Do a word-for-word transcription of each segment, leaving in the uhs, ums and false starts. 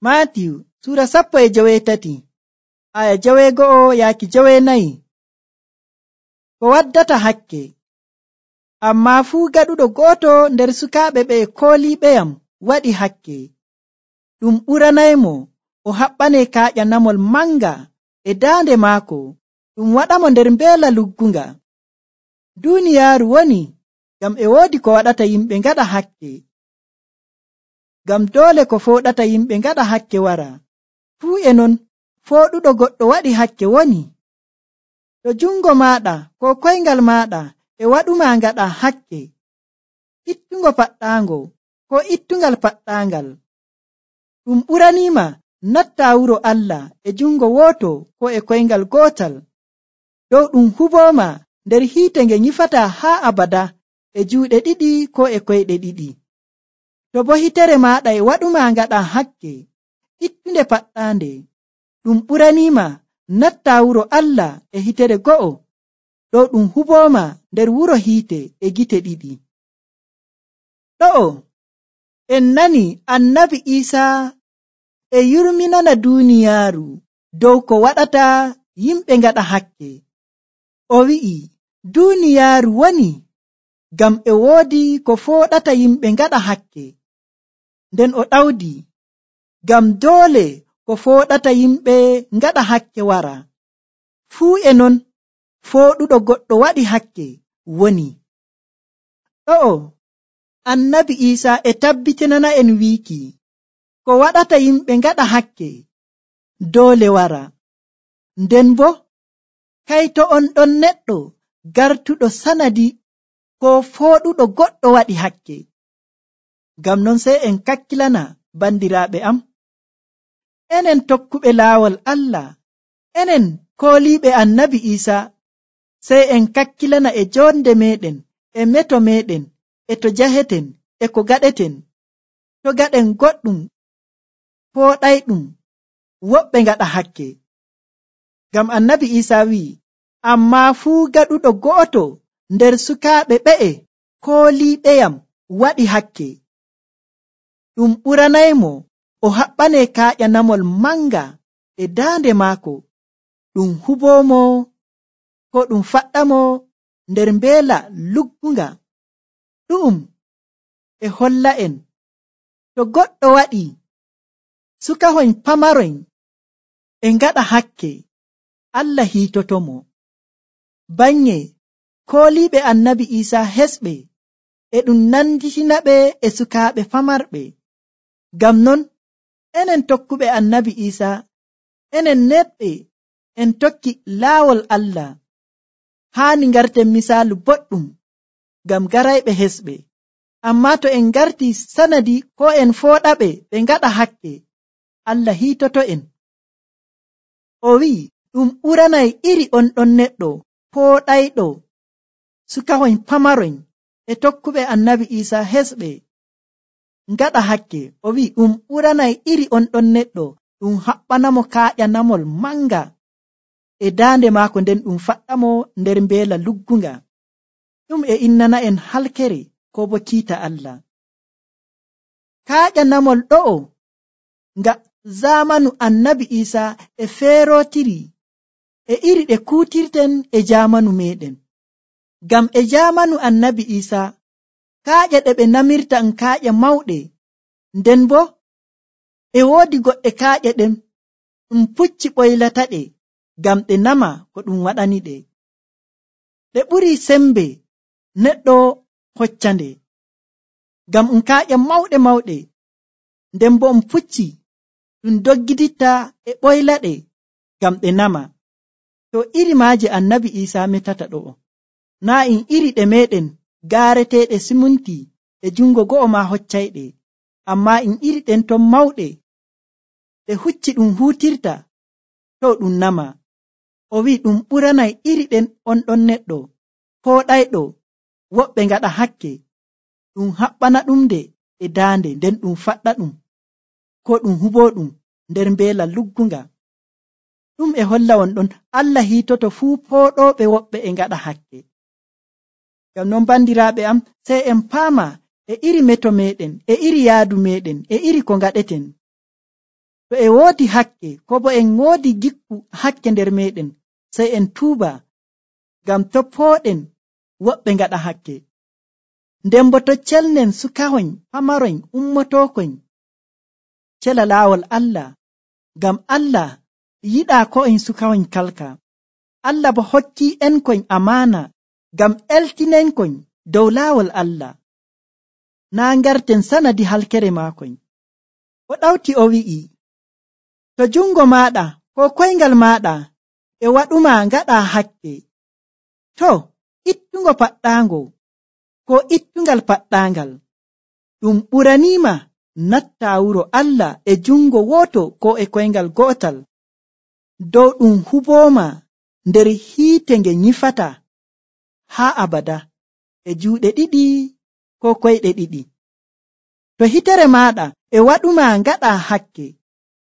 Maatiyu Sura sappo e joweetati aya joweego'o yaaki joweenayi. Ko waddata hakke. Ammaa fuu gaɗuɗo gooto nder sukaaɓe ɓe kooliiɓeyam waɗi hakke. Ɗum ɓuranaymo o haɓɓanee kaaƴanamol manga e daande maako, ɗum waɗamo nder mbeela luggunga. Duuniyaaru woni ngam e woodi ko waɗata yimɓe ngaɗa hakke. Ngam doole ko fooɗata yimɓe ngaɗa hakke wara. Fuu e non fooɗuɗo goɗɗo waɗi hakke woni. To jungo maaɗa ko koyngal maaɗa e waɗuma ngaɗa hakke, ittungo paɗɗaango ko ittungal paɗɗaangal. Ɗum ɓuraniima natta wuro Allah e jungo woto ko e koyngal gootal, dow ɗum hubooma nder hiite nge nyifata haa abada e juuɗe ɗiɗi ko e koyɗe ɗiɗi. To bo hitere maaɗa e waɗuma ngaɗa hakke, ittunde paɗɗaande, ɗum ɓuraniima natta wuro Allah e hitere go'o, dow ɗum hubooma nder wuro hiite e gite ɗiɗi. Ɗo'o en nani annabi Iisaa e yurminana duuniyaaru dow ko waɗata yimɓe ngaɗa hakke. O wi'i duuniyaaru woni ngam e woodi ko fooɗata yimɓe ngaɗa hakke. Nden o ɗawdi ngam doole ko fooɗata yimɓe ngaɗa hakke wara. Fuu e non fooɗuɗo goɗɗo waɗi hakke woni. Ɗo'o annabi Iisaa e tabbitinana en wiiki ko waɗata yimɓe ngaɗa hakke doole wara. Nden bo kayto on ɗon neɗɗo gartuɗo sanadi ko fooɗuɗo goɗɗo waɗi hakke. Ngam non sey en kakkilana bandiraaɓe am, enen tokkuɓe laawol Allah, enen kooliiɓe annabi Iisaa, sey en kakkilana e jonde meɗen, e meto meɗen, e to jaheten, e ko gaɗeten. To gaɗen goɗɗum fooɗayɗum, woɓɓe ngaɗa hakke. Ngam annabi Iisaa wi'i, ammaa fuu gaɗuɗo go'oto nder sukaaɓe ɓe'e kooliiɓeyam waɗi hakke. Ɗum ɓuranaymo o haɓɓanee kaaƴanamol manga e daande maako, ɗum huboomo ko ɗum faɗɗamo nder mbeela luggunga. Ɗu'um e holla'en to goɗɗo waɗi sukahoyn pamaroyn e ngaɗa hakke, Allah hiitotomo. Banye kooliiɓe annabi Iisaa hesɓe e ɗum nanditinaɓe e sukaaɓe famarɓe. Ngam non enen tokkuɓe annabi Iisaa, enen neɗɓe en tokki laawol Allah, haani ngarten misaalu boɗɗum ngam garayɓe hesɓe. Ammaa to en ngarti sanadi ko en fooɗaɓe ɓe ngaɗa hakke, Allah hiitoto en. O wi'i ɗum ɓuranay iri on ɗon neɗɗo fooɗayɗo sukahoyn pamaroyn e tokkuɓe annabi Iisaa hesɓe ngaɗa hakke. O wi'i ɗum ɓuranay iri on ɗon neɗɗo ɗum haɓɓanamo kaaƴanamol manga e daande maako, nden ɗum faɗɗamo nder mbeela luggunga. Ɗum e innana en halkere ko bo kiita Allah. Kaaƴanamol ɗo'o nga zamanu annabi Iisaa e feerotiri e iri ɗe kuutirten e jamanu meɗen. Ngam e jamanu annabi Iisaa kaaƴe ɗe ɓe namirta en kaaƴe mawɗe, nden bo e woodi goɗɗe kaaƴe ɗen ɗum pucci ɓoylata ɗe ngam ɗe nama ko ɗum waɗani ɗe. Ɗe ɓuri sembe neɗɗo hoccande, ngam um kaaƴe mawɗe mawɗe, nden bo um pucci ɗum doggiditta e ɓoyla ɗe ngam ɗe nama. To iri maaje annabi Iisaa metata ɗo'o, naa in iri ɗe meɗen gaareteeɗe simunti e jungo go'o ma hoccayɗe, ammaa in iri ɗen ton mawɗe ɗe hucci ɗum huutirta to ɗum nama. O wi'i ɗum ɓuranay iri ɗen on ɗon neɗɗo fooɗayɗo woɓɓe ngaɗa hakke, ɗum haɓɓana ɗum nde e daande, nden ɗum faɗɗa ɗum ko ɗum huboo ɗum nder mbeela luggunga. Ɗum e holla won ɗon Allah hiitoto fuu fooɗooɓe woɓɓe e ngaɗa hakke. Ngam non bandiraaɓe am, sey en paama e iri meto meɗen, e iri yaadu meɗen, e iri ko ngaɗeten. to e woodi hakke ko bo en woodi gikku hakke nder meɗen sey en tuuba ngam to pooɗen woɓɓe ngaɗa hakke. Nden bo to celnen sukahoñ pamaroñ ummotokoñ cela laawol Allah, ngam Allah yiɗaa ko en sukahoñ kalka. Allah bo hokki en koñ amaana ngam eltinenkoñ dow laawol Allah, naa ngarten sanadi halkere maakoñ. O ɗawti o wi'i, to jungo maaɗa ko koyngal maaɗa e waɗuma ngaɗa hakke, to ittungo paɗɗaango ko ittungal paɗɗaangal, ɗum ɓuraniima natta wuro Allah e jungo woto ko e koyngal go'otal, dow ɗum hubooma nder hiite nge nyifata haa abada e juuɗe ɗiɗi ko koyɗe ɗiɗi. To hitere maaɗa e waɗuma ngaɗa hakke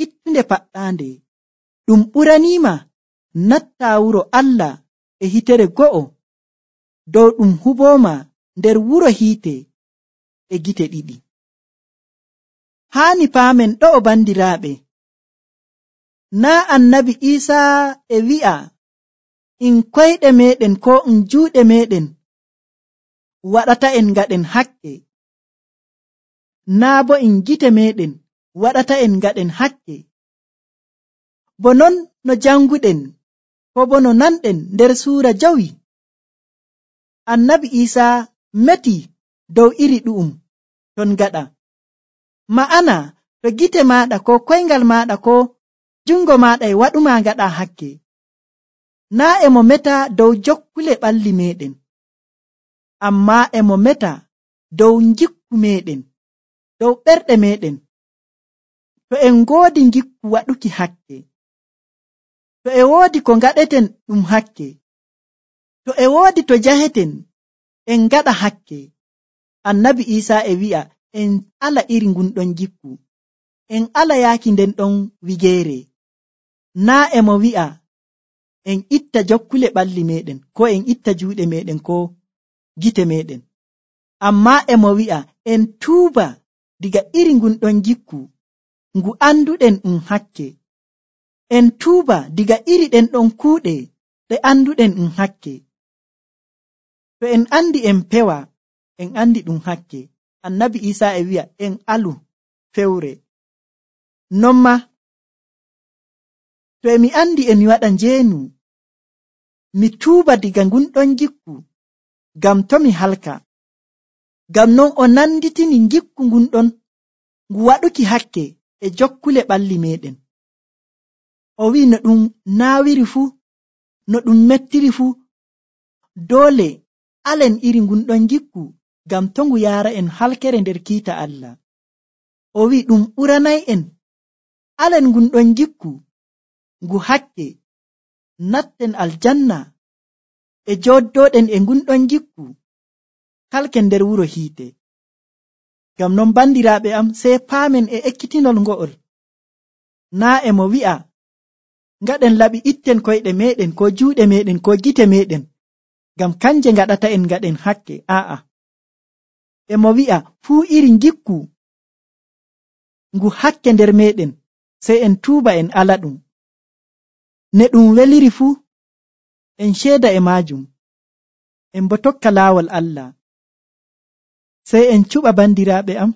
ittunde paɗɗaande, ɗum ɓuraniima natta wuro Allah e hitere go'o, dow ɗum hubooma nder wuro hiite e gite ɗiɗi. Haani paamen ɗo'o bandiraaɓe, naa annabi Iisaa e wi'a in koyɗe meɗen ko in juuɗe meɗen waɗata en ngaɗen hakke, naa bo in gite meɗen waɗata en ngaɗen hakke. Bo non no janguɗen ko bo no nanɗen nder suura jawi, annabi Iisaa meti dow iri ɗu'um ton gaɗa. Ma'ana to gite maaɗa ko koyngal maaɗa ko jungo maaɗa e waɗuma ngaɗa hakke, naa e mo meta dow jokkule ɓalli meɗen, amma e mo meta dow ngikku meɗen, dow ɓerɗe meɗen. To en ngoodi ngikku waɗuki hakke, to e woodi ko ngaɗeten ɗum hakke, to e woodi to jaheten en ngaɗa hakke, annabi Iisaa e wi'a en ala iri ngunɗon gikku, en ala yaaki nden ɗon wigeere. Naa e mo wi'a en itta jokkule ɓalli meɗen ko en itta juuɗe meɗen ko gite meɗen, amma e mo wi'a en tuuba diga iri ngunɗon gikku ngu anduɗen ɗum hakke, en tuuba diga iri ɗen ɗon kuuɗe ɗe anduɗen ɗum hakke. To en andi en pewa en andi ɗum hakke, annabi Iisaa e wi'a en alu fewre. Non ma to emi andi emi waɗa njeenu, mi tuuba diga ngunɗon gikku ngam to mi halka. Ngam non o nanditini gikku ngunɗon ngu waɗuki hakke e jokkule ɓalli meɗen. O wi'i no ɗum naawiri fuu, no ɗum mettiri fuu, doole alen iri ngunɗon gikku ngam to ngu yaara en halkere nder kiita Allah. O wi'i ɗum ɓuranay en alen ngunɗon gikku ngu hakke, natten aljanna e jooddooɗen e ngunɗon gikku kalken nder wuro hiite. Ngam non bandiraaɓe am, sey paamen e ekkitinol ngo'ol, naa e mo wi'a ngaɗen laɓi itten koyɗe meɗen ko juuɗe meɗen ko gite meɗen ngam kanje ngaɗata en ngaɗen hakke. Aa'a, e mo wi'a fuu iri gikku ngu hakke nder meɗen sey en tuuba en ala ɗum. Ne ɗum weliri fuu en ceeda e maajum, en bo tokka laawol Allah, sey en cuɓa bandiraaɓe am,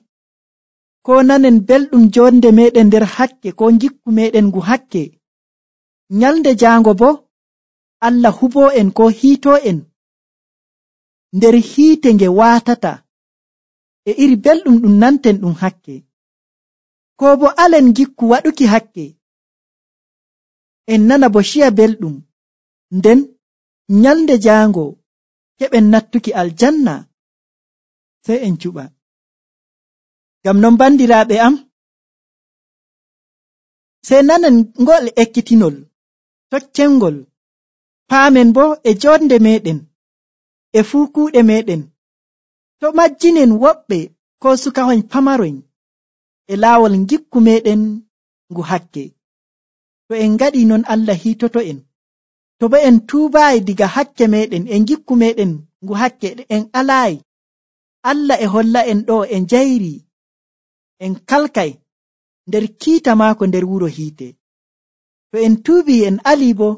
ko nanen belɗum jonde meɗen nder hakke ko gikku meɗen ngu hakke, nyalde jaango bo Allah huboo en ko hiitoo en nder hiite nge waatata e iri belɗum ɗum nanten ɗum hakke, ko bo alen gikku waɗuki hakke en nana bo ciya belɗum, nden nyalde jaango keɓen nattuki aljanna, sey en cuɓa. Ngam non bandiraaɓe am, sey nanen ngol ekkitinol tokkengol, paamen bo e jonde meɗen e fuu kuuɗe meɗen, to majjinen woɓɓe ko sukahoñ pamaroñ e laawol gikku meɗen ngu hakke. To en ngaɗi non Allah hiitoto en. To bo en tuubaayi diga hakke meɗen e gikku meɗen ngu hakke en alaayi, Allah e holla en ɗo en jayri, en kalkay nder kiita maako nder wuro hiite. To en tuubii en alii bo,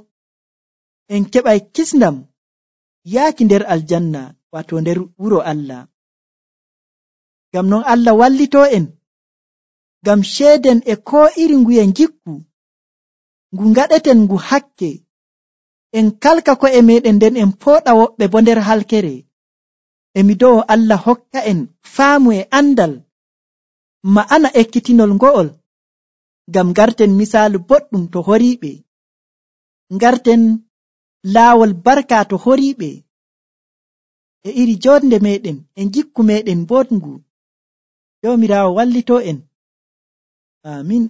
en keɓay kisndam yaaki nder aljanna, waato nder wuro Allah. Ngam non Allah wallitoo en, ngam ceeden e koo iri nguye ngikku ngu ngaɗeten ngu hakke, en kalka ko'e meeɗen nden en pooɗa woɓɓe bo nder halkere. E mi do'o Allah hokka en faamu e andal ma'ana ekkitinol ngo'ol, ngam ngarten misaalu boɗɗum to horiiɓe, ngarten laawol barka to horiiɓe, e iri jonde meeɗen e ngikku meeɗen boɗngu. Jawmiraawo wallitoo en. Aamin.